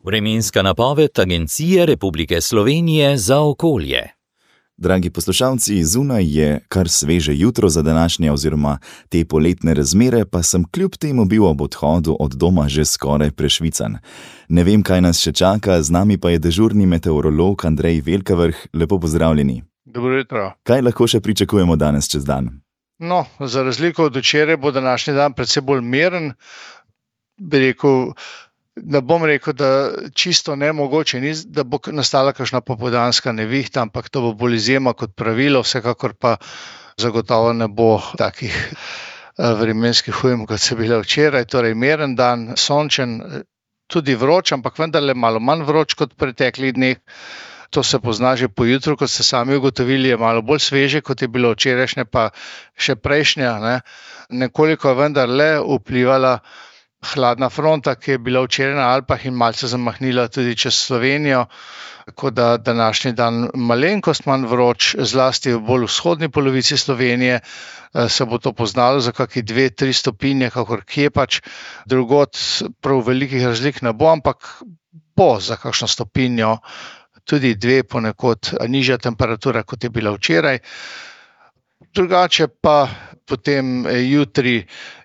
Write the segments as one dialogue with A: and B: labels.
A: Vremenska napoved Agencije Republike Slovenije za okolje.
B: Dragi poslušalci, zunaj je kar sveže jutro za današnje oziroma te poletne razmere, pa sem kljub temu bil ob odhodu od doma že skoraj prešvican. Ne vem, kaj nas še čaka, z nami pa je dežurni meteorolog Andrej Velkavrh. Lepo pozdravljeni.
C: Dobro jutro.
B: Kaj lahko še pričakujemo danes čez dan?
C: No, za razliko od včeraj bo današnji dan predvsem bolj miren. Ne bom rekel, da čisto nemogoče ni, da bo nastala kakšna popoldanska nevihta, ampak to bo bolj izjema kot pravilo, vsekakor pa zagotovo ne bo takih vremenskih ujm, kot so bile včeraj. Torej miren dan, sončen, tudi vroč, ampak vendarle malo manj vroč kot v preteklih dneh. To se pozna že po jutru, kot ste sami ugotovili, je malo bolj sveže, kot je bilo včerajšnje, pa še prejšnja. Nekoliko je vendarle vplivala hladna fronta, ki je bila včeraj na Alpah in malce zamahnila tudi čez Slovenijo, tako da današnji dan malenkost manj vroč, zlasti v bolj vzhodni polovici Slovenije se bo to poznalo za kakšne 2-3 stopinje, kakor kje pač. Drugod prav velikih razlik ne bo, ampak bo za kakšno stopinjo, tudi 2 ponekod nižja temperatura, kot je bila včeraj. Drugače pa potem jutri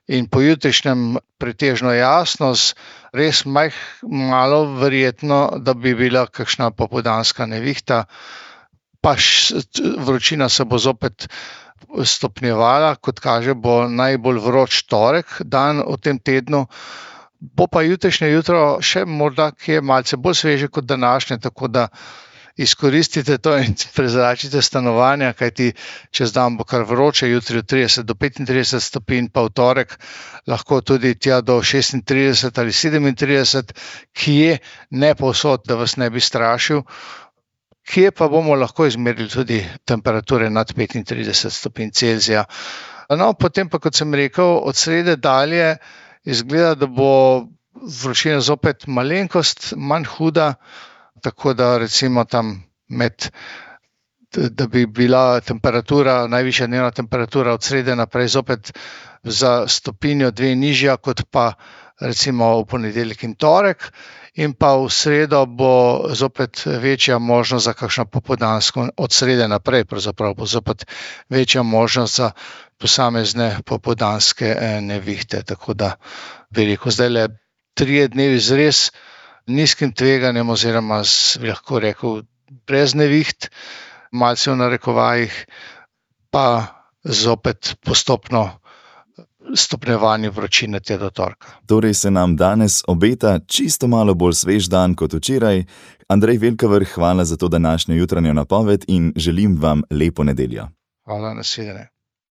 C: in pojutrišnjem pretežno jasno, res malo verjetno, da bi bila kakšna popoldanska nevihta, pa vročina se bo zopet stopnjevala, kot kaže bo najbolj vroč torek dan v tem tednu. Bo pa jutrišnje jutro še morda kje malce bolj sveže kot današnje, tako da izkoristite to in prezračite stanovanja, kajti čez dan bo kar vroče, jutri od 30 do 35 stopinj, pa v torek lahko tudi tja do 36 ali 37, kje ne povsod, da vas ne bi strašil, kje pa bomo lahko izmerili tudi temperature nad 35 stopinj Celzija. No, potem pa, kot sem rekel, od srede dalje izgleda, da bo vročina zopet malenkost manj huda, tako da recimo tam da bi bila temperatura, najvišja dnevna temperatura od srede naprej zopet za stopinjo 2 nižja, kot pa recimo v ponedeljek in torek, in pa v sredo bo zopet večja možnost za kakšno popoldansko, od srede naprej pravzaprav bo zopet večja možnost za posamezne popoldanske nevihte. Tako da bi rekel, zdajle 3 dnevi z res nizkim tveganjem oziroma bi lahko rekel brez neviht, malce v narekovajih, pa zopet postopno stopnjevanje vročine tja do torka.
B: Torej se nam danes obeta čisto malo bolj svež dan kot včeraj. Andrej Velkavrh, hvala za to današnjo jutranjo napoved in želim vam lepo nedeljo.
C: Hvala, nasvidenje.